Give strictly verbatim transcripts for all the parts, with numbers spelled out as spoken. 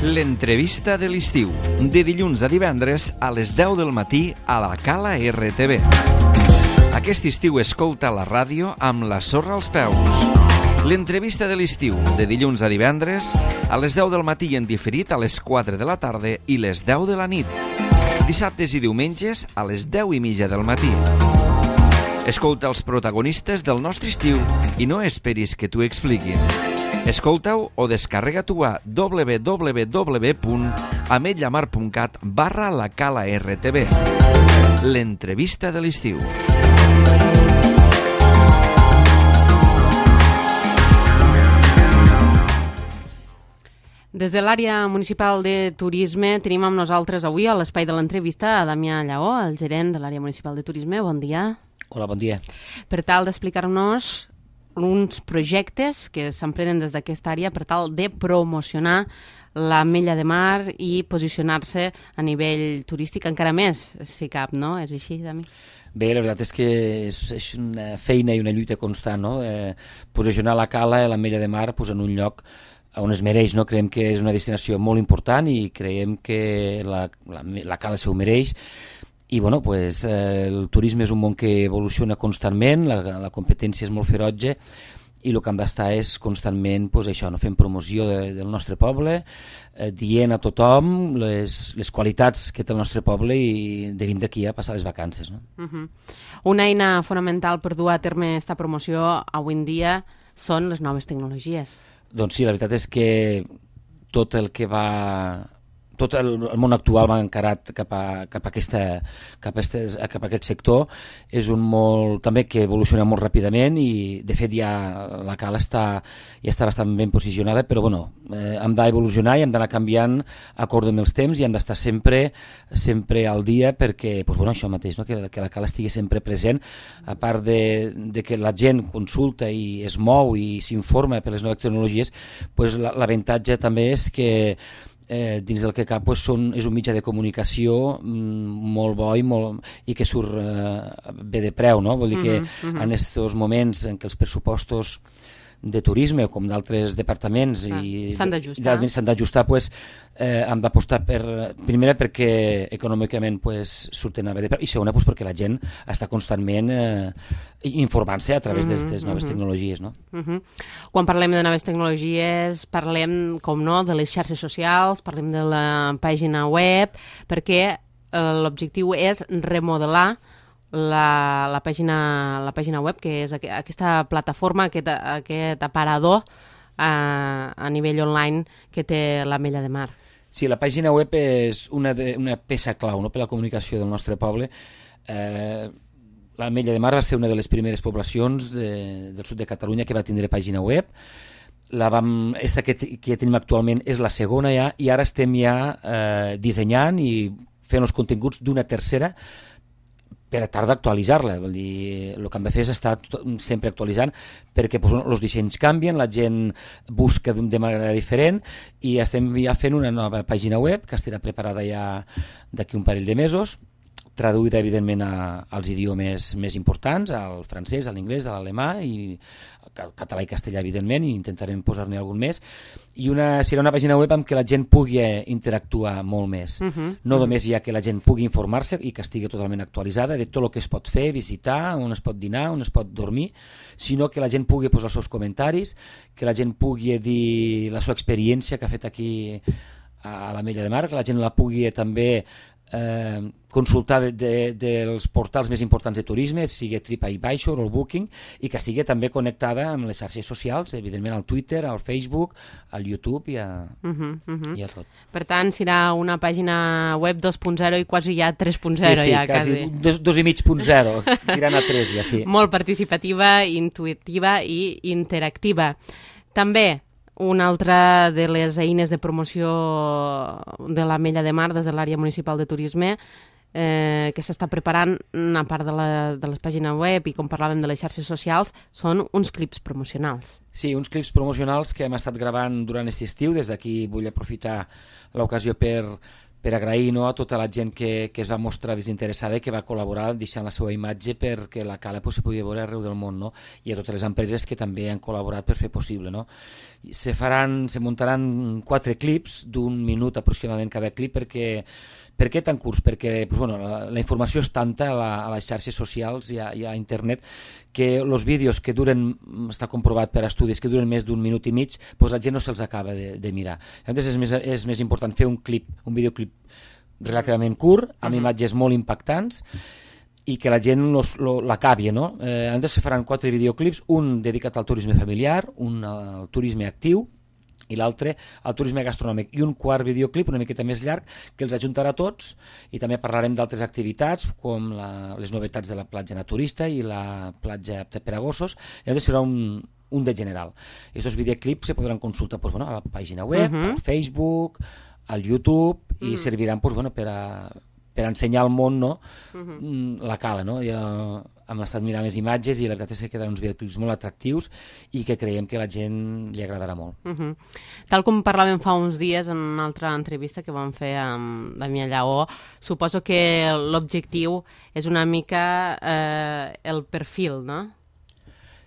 L'entrevista de l'estiu, de dilluns a divendres a les deu del matí a la Cala R T V. Aquest estiu escolta la ràdio amb la sorra als peus. L'entrevista de l'estiu, de dilluns a divendres a les deu del matí i en diferit a les quatre de la tarda i les deu de la nit. Dissabtes i diumenges a les deu i mitja del matí. Escolta els protagonistes del nostre estiu i no esperis que t'ho expliquin. Escolta-ho o descarrega-t'ho a w w w punt ametlla mar punt cat barra la Cala R T V. L'entrevista de l'estiu. Des de l'àrea municipal de turisme tenim amb nosaltres avui a l'espai de l'entrevista a Damià Lleó, el gerent de l'àrea municipal de turisme. Bon dia. Hola, bon dia. Per tal d'explicar-nos uns projectes que s'emprenen des d'aquesta àrea per tal de promocionar l'Ametlla de Mar i posicionar-se a nivell turístic encara més, si cap, no? És així, Dami? Bé, la veritat és que és, és una feina i una lluita constant, no? Eh, posicionar la Cala i l'Ametlla de Mar pues, en un lloc on es mereix, no? Creiem que és una destinació molt important i creiem que la, la, la Cala s'ho mereix. I bueno, pues, eh, el turisme és un món que evoluciona constantment, la, la competència és molt ferotge i el que hem d'estar és constantment pues, això, no? Fent promoció de, del nostre poble, eh, dient a tothom les, les qualitats que té el nostre poble i de vindre aquí a passar les vacances. No? Uh-huh. Una eina fonamental per dur a terme aquesta promoció avui en dia són les noves tecnologies. Doncs sí, la veritat és que tot el que va... tot el, el món actual va encarat cap a, cap a, aquesta, cap a, estes, cap a aquest sector. És un molt, també que evoluciona molt ràpidament i de fet ja la Cala està, ja està bastant ben posicionada, però bueno, eh, hem d'evolucionar i hem d'anar canviant acord amb els temps i hem d'estar sempre, sempre al dia perquè pues, bueno, això mateix, no? que, que la Cala estigui sempre present, a part de, de que la gent consulta i es mou i s'informa per les noves tecnologies, pues, l'avantatge també és que Eh, dins del que cap pues, són, és un mitjà de comunicació mm, molt bo i, molt, i que surt eh, bé de preu, no? Vol dir que uh-huh, uh-huh. en aquests moments en què els pressupostos de turisme com d'altres departaments ah, i s'han d'ajustar, s'han d'ajustar pues, eh, hem d'apostar per, primera perquè econòmicament pues, surten a bé de preu i segona pues, perquè la gent està constantment eh, informant-se a través uh-huh, d'aquestes noves uh-huh. tecnologies. No? Uh-huh. Quan parlem de noves tecnologies parlem, com no, de les xarxes socials, parlem de la pàgina web, perquè eh, l'objectiu és remodelar La, la, pàgina, la pàgina web, que és aqu aquesta plataforma, aquest, aquest aparador a, a nivell online que té l'Ametlla de Mar. Sí, la pàgina web és una, de, una peça clau, no?, per la comunicació del nostre poble. Eh, L'Ametlla de Mar va ser una de les primeres poblacions de, del sud de Catalunya que va tindre pàgina web. La vam, esta que, que tenim actualment és la segona ja, i ara estem ja eh, dissenyant i fent els continguts d'una tercera per a tard d'actualitzar-la. Vol dir, el que hem de fer és estar sempre actualitzant perquè pues, els dissenys canvien, la gent busca de manera diferent i estem ja fent una nova pàgina web que estarà preparada ja d'aquí un parell de mesos, traduïda evidentment a, als idiomes més importants, al francès, a l'anglès, a l'alemà i al català i castellà evidentment, i intentarem posar-ne algun més, i una, serà una pàgina web amb què la gent pugui interactuar molt més, uh-huh. no només ja que la gent pugui informar-se i que estigui totalment actualitzada de tot el que es pot fer, visitar, on es pot dinar, on es pot dormir, sinó que la gent pugui posar els seus comentaris, que la gent pugui dir la seva experiència que ha fet aquí a l'Ametlla de Mar, que la gent la pugui també Eh, consultar de, de, dels portals més importants de turisme, sigui TripAdvisor o el Booking, i que estigui també connectada amb les xarxes socials, evidentment al Twitter, al Facebook, al YouTube i a, uh-huh, uh-huh. i a tot. Per tant, serà una pàgina web dos punt zero i quasi ja tres punt zero. Sí, sí, ja, quasi, quasi. Dos, dos i mig punt zero, tirant a tres ja, sí. Molt participativa, intuitiva i interactiva. També una altra de les eines de promoció de l'Ametlla de Mar des de l'àrea municipal de turisme eh, que s'està preparant, a part de les, de les pàgines web i com parlàvem de les xarxes socials, són uns clips promocionals. Sí, uns clips promocionals que hem estat gravant durant aquest estiu. Des d'aquí vull aprofitar l'ocasió per, per agrair, no, a tota la gent que, que es va mostrar desinteressada i que va col·laborar deixant la seva imatge perquè la cala pues, se podia veure arreu del món, no? I a totes les empreses que també han col·laborat per fer possible. No? Se, faran, se muntaran quatre clips d'un minut aproximadament cada clip perquè Per què tan curts? Perquè pues, bueno, la, la informació és tanta a, la, a les xarxes socials i a, i a internet que els vídeos que duren, està comprovat per estudis, que duren més d'un minut i mig, pues, la gent no se'ls acaba de, de mirar. Llavors és més, és més important fer un clip, un videoclip relativament curt, amb uh-huh. imatges molt impactants, i que la gent l'acabi, no? Eh, llavors se faran quatre videoclips, un dedicat al turisme familiar, un al turisme actiu, i l'altre al turisme gastronòmic, i un quart videoclip una miqueta més llarg que els ajuntarà tots, i també parlarem d'altres activitats com la, les novetats de la platja naturista i la platja per a gossos. Llavors serà un, un de general. Aquests videoclips se podran consultar pues, bueno, a la pàgina web, uh-huh. al Facebook, al YouTube, i uh-huh. serviran pues, bueno, per, a, per a ensenyar al món, no? uh-huh. la cala, no? Ja hem estat mirant les imatges i la veritat és que quedaran uns videoclips molt atractius i que creiem que a la gent li agradarà molt. Uh-huh. Tal com parlàvem fa uns dies en una altra entrevista que vam fer amb Damià Lleó, suposo que l'objectiu és una mica eh, el perfil, no?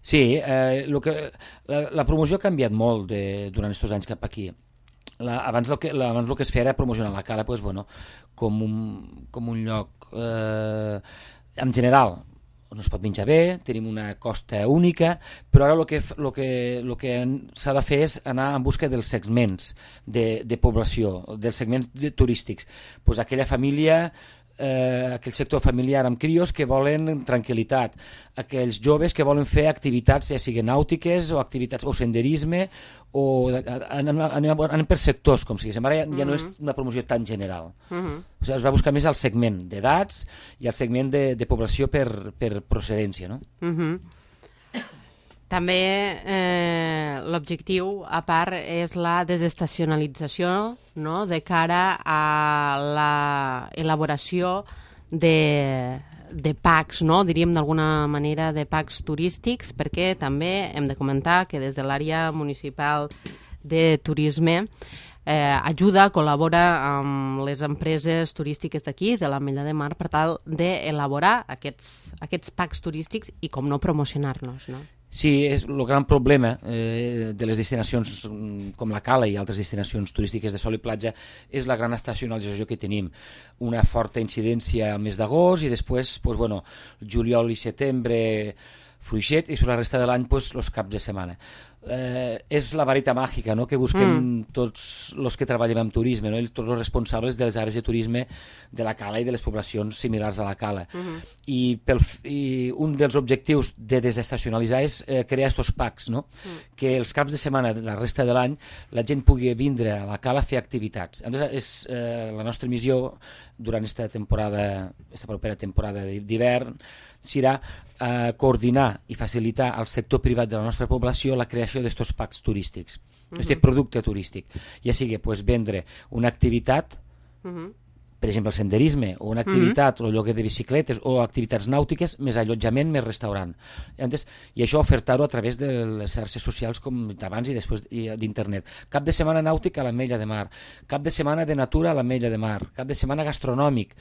Sí, eh, lo que, la, la promoció ha canviat molt de, durant aquests anys cap aquí. La, abans, el que, la, abans el que es feia era promocionar la cala pues, bueno, com, un, com un lloc eh, en general on es pot menjar bé, tenim una costa única, però ara el que, el que, el que s'ha de fer és anar en busca dels segments de, de població, dels segments de, turístics. Pues aquella família, eh, aquell sector familiar amb crios que volen tranquil·litat, aquells joves que volen fer activitats, ja siguin nàutiques o activitats o senderisme, o anem, anem, anem per sectors, com si diguéssim. Ara ja, ja no és una promoció tan general. Uh-huh. O sigui, es va buscar més el segment d'edats i el segment de, de població per, per procedència, no? Uh-huh. També eh, l'objectiu, a part, és la desestacionalització, no?, de cara a l'elaboració de, de packs, no?, diríem d'alguna manera de packs turístics, perquè també hem de comentar que des de l'àrea municipal de turisme eh, ajuda, col·labora amb les empreses turístiques d'aquí, de l'Ametlla de Mar, per tal d'elaborar aquests, aquests packs turístics i, com no, promocionar-los, no? Sí, és el gran problema eh, de les destinacions com la Cala i altres destinacions turístiques de sol i platja és la gran estacionalització que tenim. Una forta incidència al mes d'agost i després, pues, bueno, juliol i setembre fluixet i sobre la resta de l'any pues, els caps de setmana. Eh, és la varita màgica, no?, que busquem mm. tots els que treballem en turisme, no?, i tots els responsables de les àrees de turisme de la Cala i de les poblacions similars a la Cala. Mm-hmm. I, pel, I un dels objectius de desestacionalitzar és eh, crear estos packs, no? Mm. Que els caps de setmana de la resta de l'any la gent pugui vindre a la Cala a fer activitats. Llavors, és eh, la nostra missió durant aquesta temporada, aquesta propera temporada d'hivern, serà eh, coordinar i facilitar al sector privat de la nostra població la creació d'estos packs turístics, uh-huh. este producte turístic, ja sigui pues, vendre una activitat, uh-huh. per exemple el senderisme, o una activitat, uh-huh. o lloguer de bicicletes, o activitats nàutiques, més allotjament, més restaurant. Llavors, i això ofertar-ho a través de les xarxes socials, com abans i després d'internet. Cap de setmana nàutic a l'Ametlla de Mar, cap de setmana de natura a l'Ametlla de Mar, cap de setmana gastronòmic,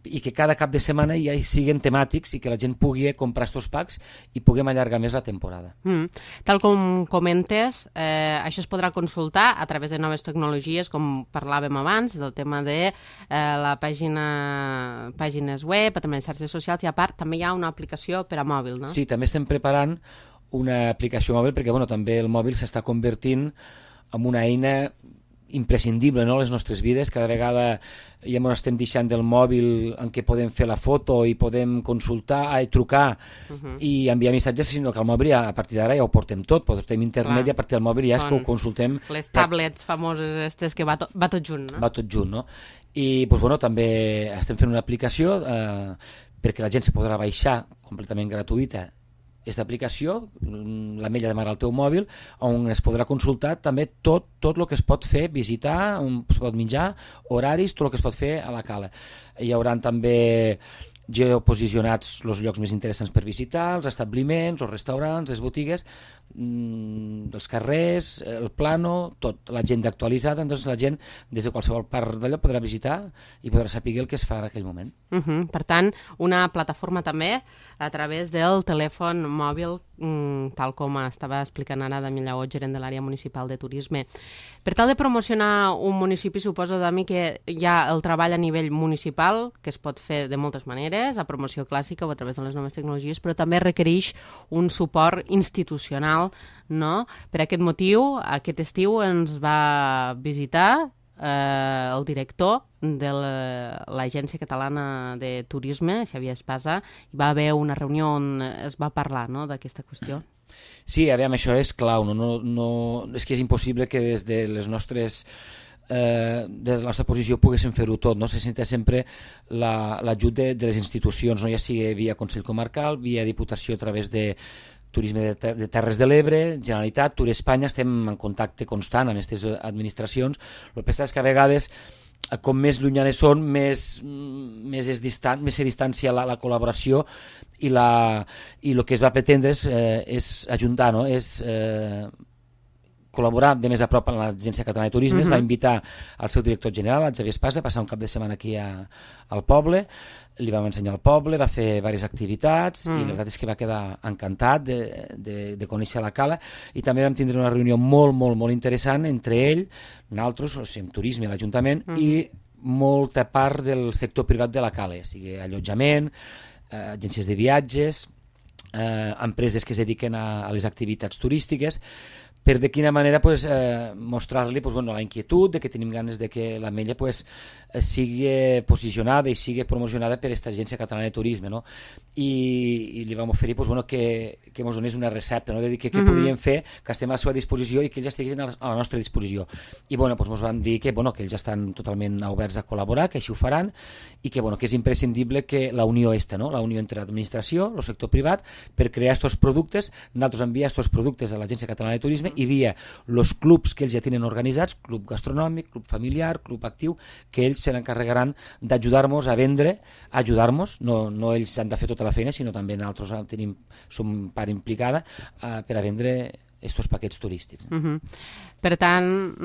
i que cada cap de setmana ja siguin temàtics i que la gent pugui comprar estos packs i puguem allargar més la temporada. Mm. Tal com comentes, eh, això es podrà consultar a través de noves tecnologies, com parlàvem abans, del tema de eh, la pàgina, pàgines web, també les xarxes socials, i a part també hi ha una aplicació per a mòbil, no? Sí, també estem preparant una aplicació mòbil perquè bueno, també el mòbil s'està convertint en una eina imprescindible, no?, a les nostres vides. Cada vegada ja ens estem deixant del mòbil en què podem fer la foto i podem consultar, i trucar uh-huh. i enviar missatges, sinó que el mòbil ja, a partir d'ara ja ho portem tot, portem internet. Clar. I a partir del mòbil ja és que ho consultem. Les tablets famoses aquestes que va, to va tot junt, no? Va tot junt, no? I pues, bueno, també estem fent una aplicació eh, perquè la gent se podrà baixar completament gratuïta aquesta aplicació, l'Ametlla de Mar al teu mòbil, on es podrà consultar també tot, tot el que es pot fer, visitar, on es pot menjar, horaris, tot el que es pot fer a la Cala. Hi haurà també geoposicionats els llocs més interessants per visitar, els establiments, els restaurants, les botigues, mmm, els carrers, el plano, tot, l'agenda actualitzada, doncs la gent des de qualsevol part d'allò podrà visitar i podrà saber el que es fa en aquell moment. Uh -huh. Per tant, una plataforma també a través del telèfon mòbil, mm, tal com estava explicant ara Dami Lleó, gerent de l'àrea municipal de turisme. Per tal de promocionar un municipi, suposo, Dami, que hi ha el treball a nivell municipal, que es pot fer de moltes maneres, a promoció clàssica o a través de les noves tecnologies, però també requereix un suport institucional, no? Per aquest motiu, aquest estiu ens va visitar eh, el director de l'Agència Catalana de Turisme, Xavier Espasa, i va haver una reunió on es va parlar, no?, d'aquesta qüestió. Sí, aviam, això és clau, no? No, no, és que és impossible que des de les nostres eh, de la nostra posició poguéssim fer-ho tot, no? Se senta sempre l'ajut la, de, de les institucions, no? Ja sigui via Consell Comarcal, via Diputació a través de Turisme de, ter de Terres de l'Ebre, Generalitat, Tour Espanya, estem en contacte constant amb aquestes administracions. El que passa és que a vegades, com més llunyanes són, més, més, és distant, més se distancia la, la col·laboració i, la, i el que es va pretendre és, eh, és ajuntar, no? És eh, col·laborar de més a prop amb l'Agència Catalana de Turisme. Uh-huh. Va invitar al seu director general, el Xavier Espasa, a passar un cap de setmana aquí a, al poble, li vam ensenyar el poble, va fer diverses activitats mm. i la veritat és que va quedar encantat de, de, de conèixer la cala, i també vam tindre una reunió molt, molt, molt interessant entre ell, nosaltres, o sigui, turisme, l'Ajuntament, mm. i molta part del sector privat de la cala, o sigui, allotjament, eh, agències de viatges, eh, empreses que es dediquen a, a les activitats turístiques, per de quina manera pues, eh, mostrar-li pues, bueno, la inquietud de que tenim ganes de que l'Ametlla pues, sigui posicionada i sigui promocionada per aquesta Agència Catalana de Turisme, no? I, i li vam oferir pues, bueno, que, que ens donés una recepta, no? De dir que què mm -hmm. podríem fer, que estem a la seva disposició i que ells estiguessin a la nostra disposició. I bueno, pues, ens van dir que, bueno, que ells estan totalment oberts a col·laborar, que així ho faran, i que, bueno, que és imprescindible que la unió esta, no? La unió entre l'administració, el sector privat, per crear aquests productes, nosaltres enviar aquests productes a l'Agència Catalana de Turisme i via els clubs que ells ja tenen organitzats, club gastronòmic, club familiar, club actiu, que ells se n'encarregaran d'ajudar-nos a vendre, ajudar-nos, no, no ells han de fer tota la feina, sinó també nosaltres tenim, som part implicada uh, per a vendre estos paquets turístics. Uh-huh. Per tant,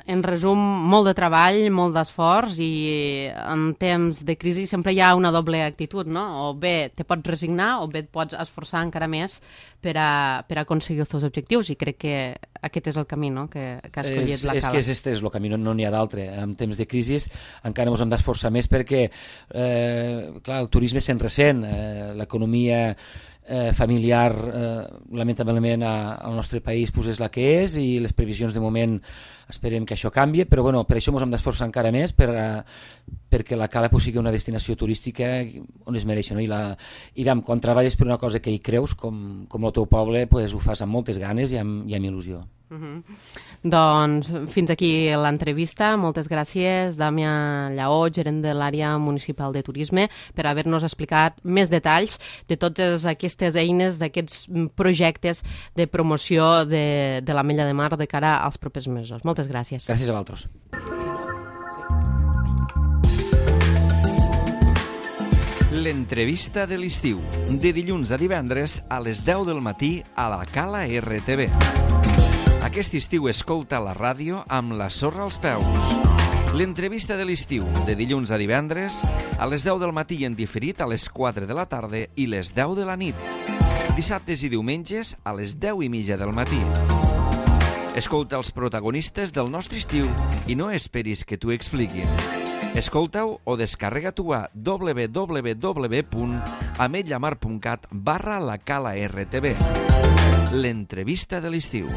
en resum, molt de treball, molt d'esforç, i en temps de crisi sempre hi ha una doble actitud, no? O bé te pots resignar o bé et pots esforçar encara més per a, per a aconseguir els teus objectius, i crec que aquest és el camí, no?, que, que ha escollit és, la Cala. És que aquest és el camí, no n'hi ha d'altre. En temps de crisi encara ens hem d'esforçar més perquè, eh, clar, el turisme se'n ressent, eh, l'economia Eh, familiar eh, lamentablement a, al nostre país pues, és la que és, i les previsions de moment esperem que això canvi, però bueno, per això ens hem d'esforçar encara més per, uh, perquè la Cala pues, sigui una destinació turística on es mereix, no? I, la, i vam, quan treballes per una cosa que hi creus, com, com el teu poble, pues, ho fas amb moltes ganes i amb, i amb il·lusió. Uh-huh. Doncs fins aquí l'entrevista. Moltes gràcies, Damià Lleó, gerent de l'àrea municipal de turisme, per haver-nos explicat més detalls de totes aquestes eines, d'aquests projectes de promoció de, de l'Ametlla de Mar de cara als propers mesos. Moltes gràcies. Gràcies a vosaltres. L'entrevista de l'estiu, de dilluns a divendres a les deu del matí a la Cala R T V. Aquest estiu escolta la ràdio amb la sorra als peus. L'entrevista de l'estiu, de dilluns a divendres, a les deu del matí i en diferit a les quatre de la tarda i les deu de la nit. Dissabtes i diumenges a les deu i mitja del matí. Escolta els protagonistes del nostre estiu i no esperis que t'ho expliquin. Escolta-ho o descarrega-t'ho a w w w punt ametlamar punt cat barra la Cala R T V. L'entrevista de l'estiu.